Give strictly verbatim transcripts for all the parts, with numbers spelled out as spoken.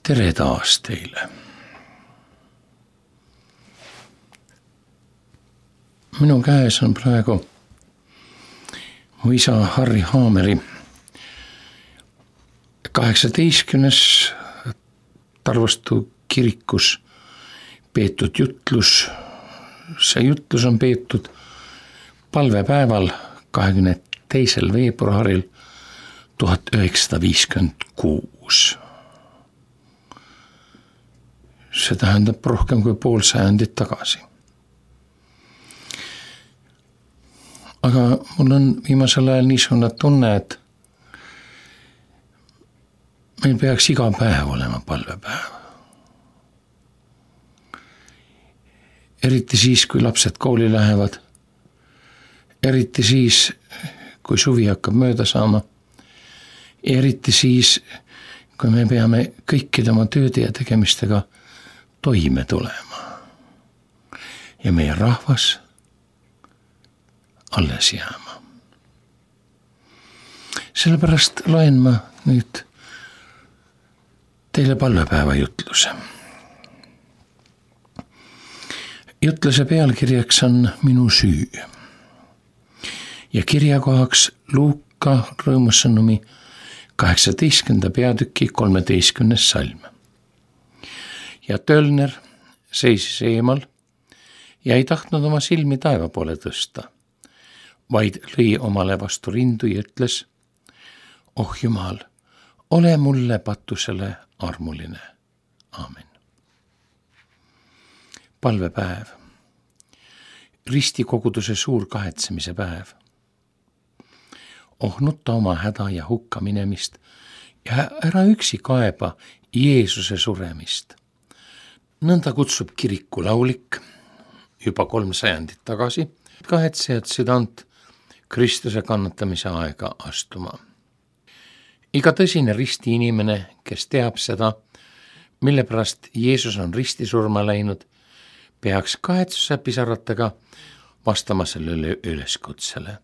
tere taas teile. Minu käes on praegu mu isa Harri Haameri kaheksateistkümnes Tarvastu kirikus peetud jutlus. See jutlus on peetud palvepäeval kahekümne teisel veebruaril tuhat üheksasada viiskümmend kuus. See tähendab rohkem kui pool sajandit tagasi. Aga mul on viimasel ajal niisugune tunne, et meil peaks iga päev olema palvepäev. Eriti siis, kui lapsed kooli lähevad. Eriti siis, kui suvi hakkab mööda saama. Eriti siis, kui me peame kõikide oma tööde ja tegemistega toime tulema. Ja meie rahvas alles jääma. Sellepärast loen ma nüüd teile palvepäeva jutluse. Jutluse pealkirjaks on Minu süü. Ja kirjakohaks Luuka rõõmusõnumi kaheksateistkümnenda peatüki kolmeteistkümnes salm. Ja Tölner seisis eemal ja ei tahtnud oma silmi taeva poole tõsta, vaid lõi omale vastu rindu ja ütles: Oh Jumal, ole mulle patusele armuline. Aamen. Palvepäev. Ristikoguduse suur kahetsemise päev. Oh nutta oma häda ja hukka minemist ja ära üksi kaeba Jeesuse suremist. Nõnda kutsub kiriku laulik juba kolm sajandit tagasi kahetsejad südant Kristuse kannatamise aega astuma. Iga tõsine risti inimene, kes teab seda, mille pärast Jeesus on ristisurma läinud, peaks kahetsuse pisaratega vastama sellele üleskutsele.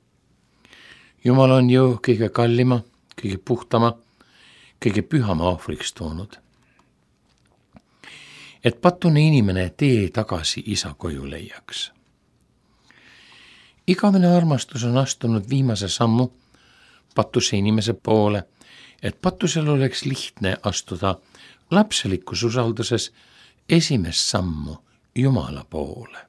Jumal on ju kõige kallima, kõige puhtama, kõige pühama ohvriks toonud. Et patune inimene tee tagasi isa koju leiaks. Igavene armastus on astunud viimase sammu patuse inimese poole, et patusel oleks lihtne astuda lapselikus usalduses esimest sammu Jumala poole.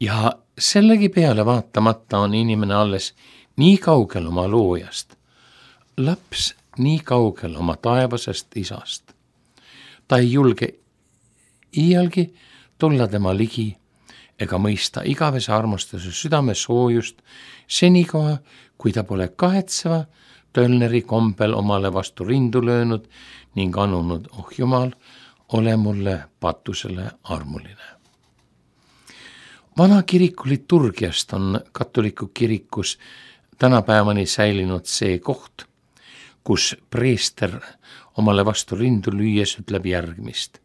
Ja sellegi peale vaatamata on inimene alles nii kaugel oma loojast, laps nii kaugel oma taevasest isast. Ta ei julge iialgi tulla tema ligi ega mõista igavese armastuse südame soojust senikoha, kui ta pole kahetseva Tölneri kombel omale vastu rindu löönud ning anunud: Oh Jumal, ole mulle patusele armuline. Vana kiriku liturgiast on katoliku kirikus tänapäevani säilinud see koht, kus preester omale vastu rindu lüües ütleb järgmist: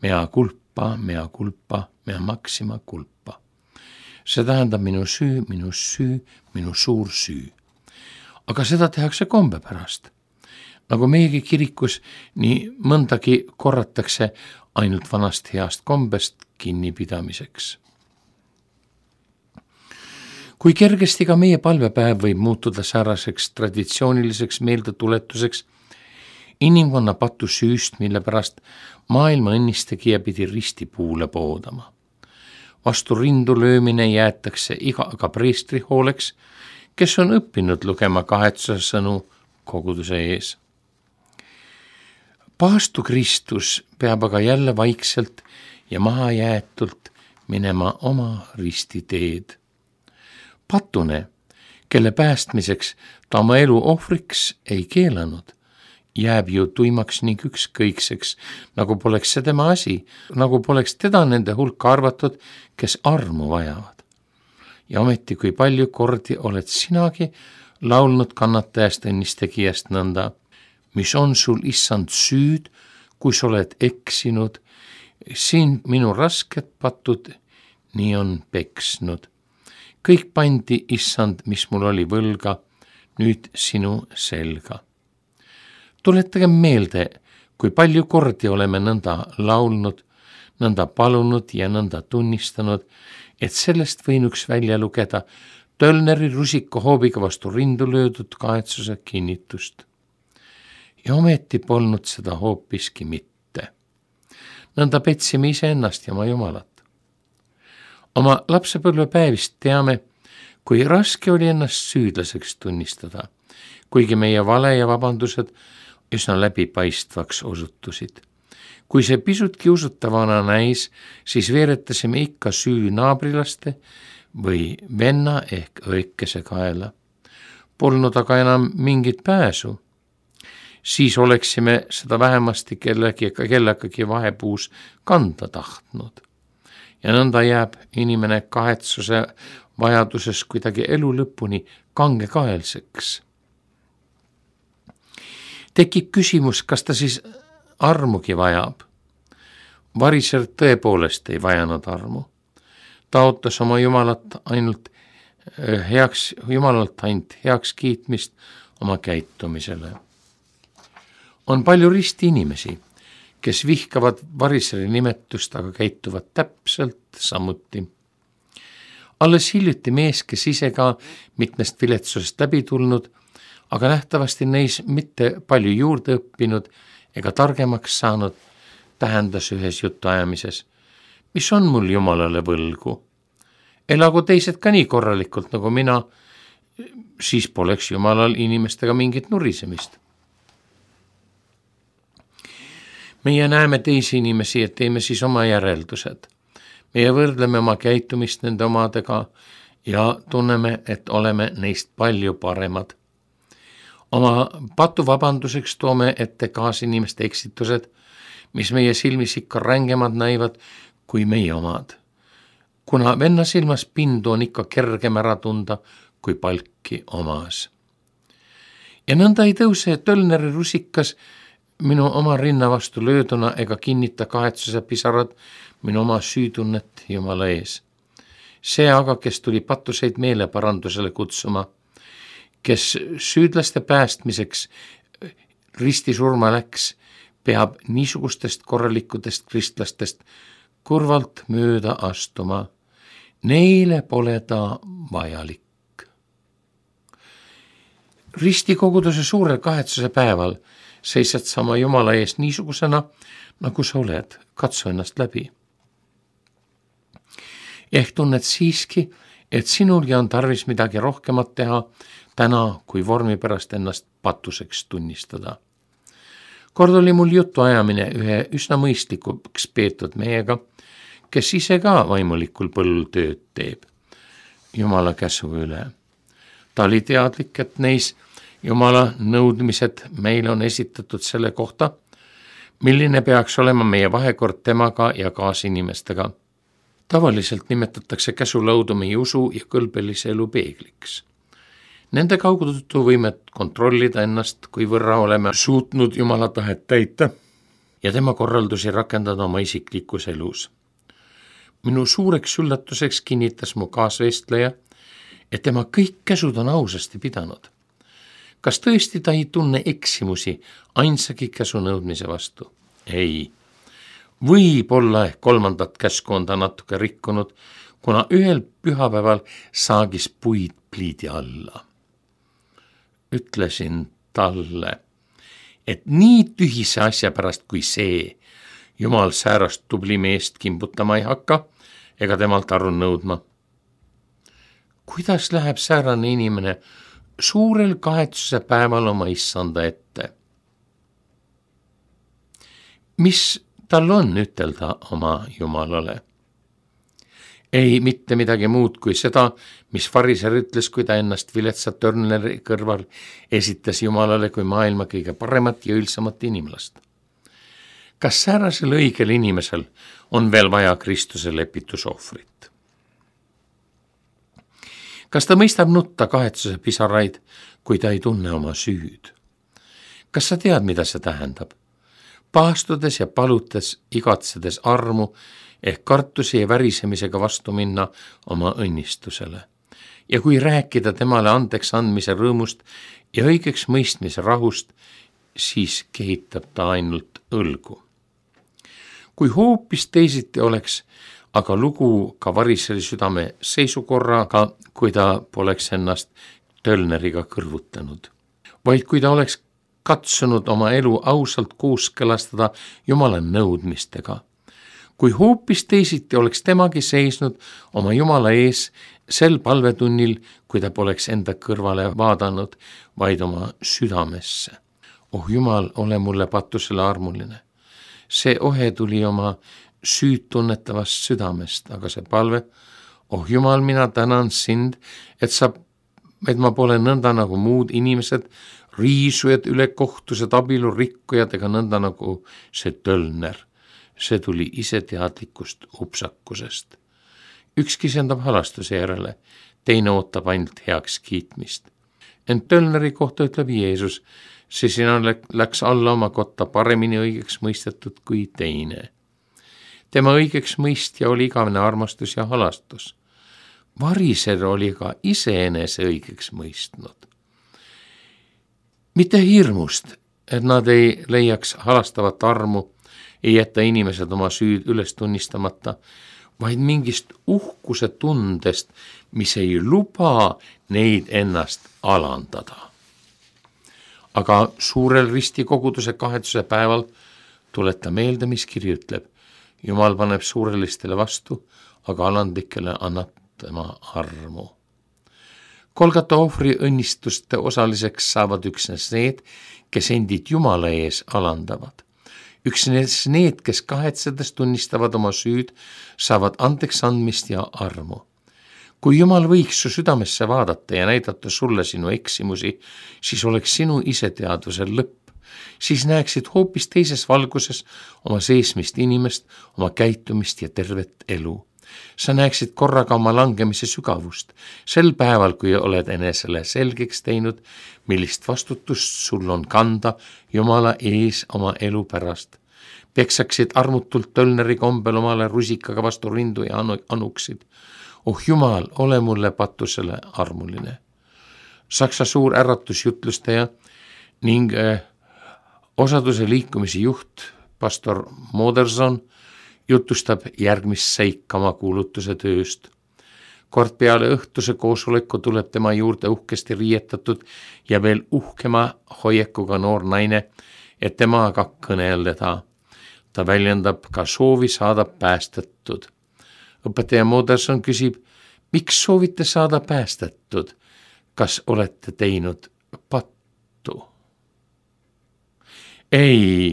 Mea culpa, mea culpa, mea maxima culpa. See tähendab minu süü, minu süü, minu suur süü. Aga seda tehakse kombe pärast. Nagu meiegi kirikus, nii mõndagi korratakse ainult vanast heast kombest kinnipidamiseks. Kui kergesti ka meie palvepäev võib muutuda sääraseks traditsiooniliseks meeldetuletuseks inimkonna patu süüst, mille pärast maailma õnnistegija pidi ristipuule poodama. Vastu rindu löömine jäetakse iga aga preestri hooleks, kes on õppinud lugema kahetsuse sõnu koguduse ees. Paastu Kristus peab aga jälle vaikselt ja maha jäetult minema oma risti teed. Patune, kelle päästmiseks ta oma elu ohvriks ei keelanud, jääb ju tuimaks ning ükskõikseks, nagu poleks see tema asi, nagu poleks teda nende hulka arvatud, kes armu vajavad. Ja ometi, kui palju kordi oled sinagi laulnud kannatajast õnnistegijast nõnda: mis on sul, issand, süüd, kui sa oled eksinud, siin minu rasket patud, nii on peksnud. Kõik pandi, issand, mis mul oli võlga, nüüd sinu selga. Tuletage meelde, kui palju kordi oleme nõnda laulnud, nõnda palunud ja nõnda tunnistanud, et sellest võinuks välja lugeda Tölneri rusikohoobiga vastu rindu löödud kahetsuse kinnitust. Ja ometi polnud seda hoopiski mitte. Nõnda petsime iseennast ja oma Jumalat. Oma lapsepõlvepäevist teame, kui raske oli ennast süüdlaseks tunnistada, kuigi meie vale ja vabandused üsna läbipaistvaks osutusid. Kui see pisutki usutavana näis, siis veeretasime ikka süü naabrilaste või venna ehk õikese kaela. Polnud aga enam mingit pääsu. Siis oleksime seda vähemasti kellegi, kellegagi vahepuus kanda tahtnud. Ja nõnda jääb inimene kahetsuse vajaduses kuidagi elu lõpuni kangekaelseks. Tekib küsimus, kas ta siis armugi vajab. Variser tõepoolest ei vajanud armu. Ta ootas oma Jumalat ainult heaks, Jumalalt ainult heaks kiitmist oma käitumisele. On palju risti inimesi, kes vihkavad variseri nimetust, aga käituvad täpselt samuti. Alles hiljuti mees, kes ise ka mitmest viletsusest läbi tulnud, aga nähtavasti neis mitte palju juurde õppinud ega targemaks saanud, tähendas ühes jutuajamises, mis on mul Jumalale võlgu. Elagu teised ka nii korralikult nagu mina, siis poleks Jumalal inimestega mingit nurisemist. Meie näeme teisi inimesi, et teeme siis oma järeldused. Meie võrdleme oma käitumist nende omadega ja tunneme, et oleme neist palju paremad. Oma patuvabanduseks toome ette kaasinimeste eksitused, mis meie silmis ikka rängemad näivad kui meie omad. Kuna venna silmas pindu on ikka kergem ära tunda kui palki omas. Ja nõnda ei tõuse Tölneri rusikas minu oma rinna vastu lööduna ega kinnita kahetsuse pisarad minu oma süütunnet Jumala ees. See aga, kes tuli patuseid meeleparandusele kutsuma, kes süüdlaste päästmiseks ristisurma läks, peab niisugustest korralikudest kristlastest kurvalt mööda astuma. Neile pole ta vajalik. Ristikoguduse suurel kahetsuse päeval seisad sa oma Jumala ees niisugusena, nagu sa oled, katsu ennast läbi. Ehk tunned siiski, et sinulgi on tarvis midagi rohkemat teha täna, kui vormi pärast ennast patuseks tunnistada. Kord oli mul jutu ajamine ühe üsna mõistlikuks peetud mehega, kes ise ka vaimulikul põllul tööd teeb, Jumala käsu üle. Ta oli teadlik, et neis Jumala nõudmised meile on esitatud selle kohta, milline peaks olema meie vahekord temaga ja kaasinimestega. Tavaliselt nimetatakse käsulaudu meie usu ja kõlbelise elu peegliks. Nende kaudu võime kontrollida ennast, kui võrra oleme suutnud Jumala tahet täita ja tema korraldusi rakendada oma isiklikus elus. Minu suureks üllatuseks kinnitas mu kaasvestleja, et tema kõik käsud on ausasti pidanud. Kas tõesti ta ei tunne eksimusi ainsagi käsu nõudmise vastu? Ei. Võib-olla ehk kolmandat käsku on ta natuke rikkunud, kuna ühel pühapäeval saagis puid pliidi alla. Ütlesin talle, et nii tühise asja pärast kui see, Jumal säärast tubli meest kimbutama ei hakka ega temalt aru nõudma. Kuidas läheb säärane inimene suurel kahetsuse päeval oma issanda ette? Mis tal on ütelda oma Jumalale? Ei mitte midagi muud kui seda, mis fariser ütles, kui ta ennast viletsat Tölneri kõrval esitas Jumalale kui maailma kõige paremat ja ülsamat inimlast. Kas säärasel õigel inimesel on veel vaja Kristuse lepitusohvrit? Kas ta mõistab nutta kahetsuse pisaraid, kui ta ei tunne oma süüd? Kas sa tead, mida see tähendab? Paastudes ja palutes, igatsedes armu ehk kartusi ja värisemisega vastu minna oma õnnistusele. Ja kui rääkida temale andeks andmise rõõmust ja õigeks mõistmise rahust, siis kehitab ta ainult õlgu. Kui hoopis teisiti oleks aga lugu ka variseli südame seisukorraga, kui ta poleks ennast Tölneriga kõrvutanud, vaid kui ta oleks katsunud oma elu ausalt kooskõlastada Jumala nõudmistega. Kui hoopis teisiti oleks temagi seisnud oma Jumala ees sel palvetunnil, kui ta poleks enda kõrvale vaadanud, vaid oma südamesse. Oh Jumal, ole mulle patusele armuline. See ohe tuli oma süüd tunnetavast südamest, aga see palve, oh Jumal, mina tänan sind, et sa, et ma pole nõnda nagu muud inimesed, riisujad, ülekohtused, abielurikkujad ega nõnda nagu see Tölner. See tuli iseteadlikust upsakusest. Üks kisendab halastuse järele, teine ootab ainult heaks kiitmist. Ent Tölneri kohta ütleb Jeesus, see sina läks alla oma kotta paremini õigeks mõistetud kui teine. Tema õigeks mõistja oli igavene armastus ja halastus. Variser oli ka iseenese õigeks mõistnud. Mitte hirmust, et nad ei leiaks halastavat armu, ei jätta inimesed oma süüd üles tunnistamata, vaid mingist uhkuse tundest, mis ei luba neid ennast alandada. Aga suurel ristikoguduse kahetsuse päeval tuleta meelde, mis kiri ütleb, Jumal paneb suurelistele vastu, aga alandlikele annab tema armu. Kolgata ohvri õnnistuste osaliseks saavad üksnes need, kes endid Jumala ees alandavad. Üksnes need, kes kahetsedes tunnistavad oma süüd, saavad andeks andmist ja armu. Kui Jumal võiks su südamesse vaadata ja näidata sulle sinu eksimusi, siis oleks sinu iseteadvusel lõpp. Siis näeksid hoopis teises valguses oma seesmist inimest, oma käitumist ja tervet elu. Sa näeksid korraga oma langemise sügavust, sel päeval, kui oled enesele selgeks teinud, millist vastutust sul on kanda Jumala ees oma elu pärast. Peksaksid armutult Tölneri kombel omale rusikaga vastu rindu ja anuksid. Oh Jumal, ole mulle patusele armuline. Saksa suur äratusjutlustaja ning äh, osaduse liikumise juht, pastor Moderson, jutustab järgmist seikama kuulutuse tööst. Kord peale õhtuse koosoleku tuleb tema juurde uhkesti riietatud ja veel uhkema hoiekuga noor naine, et temaga kõneleda. Ta väljendab ka soovi saada päästetud. Õpetaja Moderson küsib, miks soovite saada päästetud? Kas olete teinud pattu? Ei,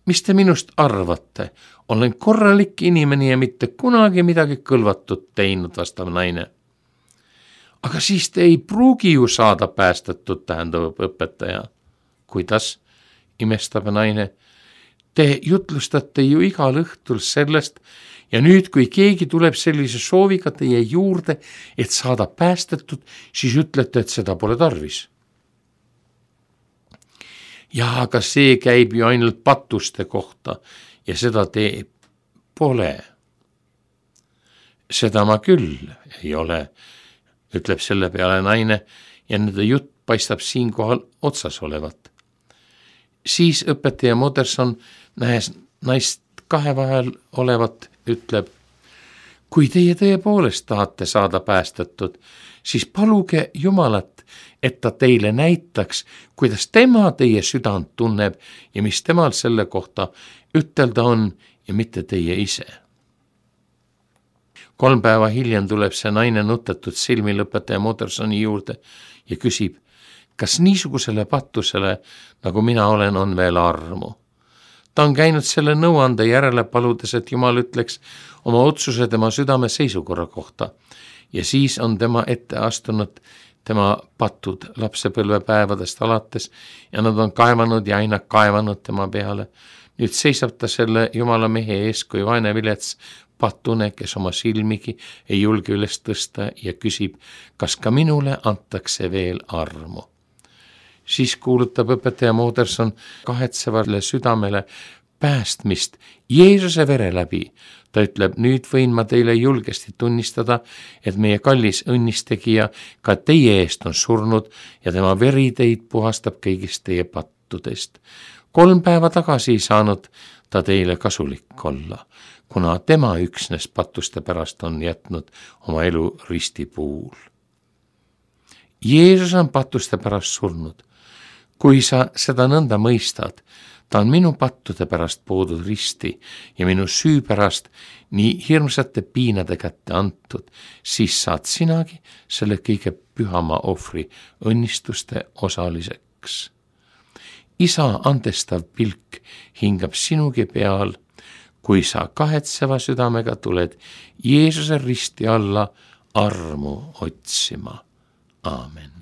mis te minust arvate? Olen korralik inimene ja mitte kunagi midagi kõlvatut teinud, vastab naine. Aga siis te ei pruugi ju saada päästetud, tähendab õpetaja. Kuidas? Imestab naine. Te jutlustate ju igal õhtul sellest ja nüüd, kui keegi tuleb sellise sooviga teie juurde, et saada päästetud, siis ütlete, et seda pole tarvis. Ja aga see käib ju ainult patuste kohta ja seda te pole. Seda ma küll ei ole, ütleb selle peale naine ja nende jutt paistab siinkohal otsas olevat. Siis õpetaja Moderson, nähes naist kahe vahel olevat, ütleb, kui teie tõepoolest tahate saada päästetud, siis paluge Jumalat, et ta teile näitaks, kuidas tema teie südant tunneb ja mis temal selle kohta ütelda on ja mitte teie ise. Kolm päeva hiljem tuleb see naine nutetud silmil õpetaja Modersoni juurde ja küsib, kas niisugusele patusele, nagu mina olen, on veel armu. Ta on käinud selle nõuande järele paludes, et Jumal ütleks oma otsuse tema südame seisukorra kohta ja siis on tema ette astunud tema patud lapsepõlvepäevadest alates ja nad on kaevanud ja aina kaevanud tema peale. Nüüd seisab ta selle Jumala mehe ees kui vaene vilets patune, kes oma silmigi ei julge üles tõsta ja küsib, kas ka minule antakse veel armu. Siis kuulutab õpetaja Moderson kahetsevale südamele päästmist Jeesuse vere läbi. Ta ütleb, nüüd võin ma teile julgesti tunnistada, et meie kallis õnnistegija ka teie eest on surnud ja tema veri teid puhastab kõigist teie pattudest. Kolm päeva tagasi ei saanud ta teile kasulik olla, kuna tema üksnes pattuste pärast on jätnud oma elu ristipuul. Jeesus on pattuste pärast surnud. Kui sa seda nõnda mõistad, ta on minu pattude pärast poodud risti ja minu süü pärast nii hirmsate piinade kätte antud, siis saad sinagi selle kõige pühama ohvri õnnistuste osaliseks. Isa andestav pilk hingab sinugi peal, kui sa kahetseva südamega tuled Jeesuse risti alla armu otsima. Aamen.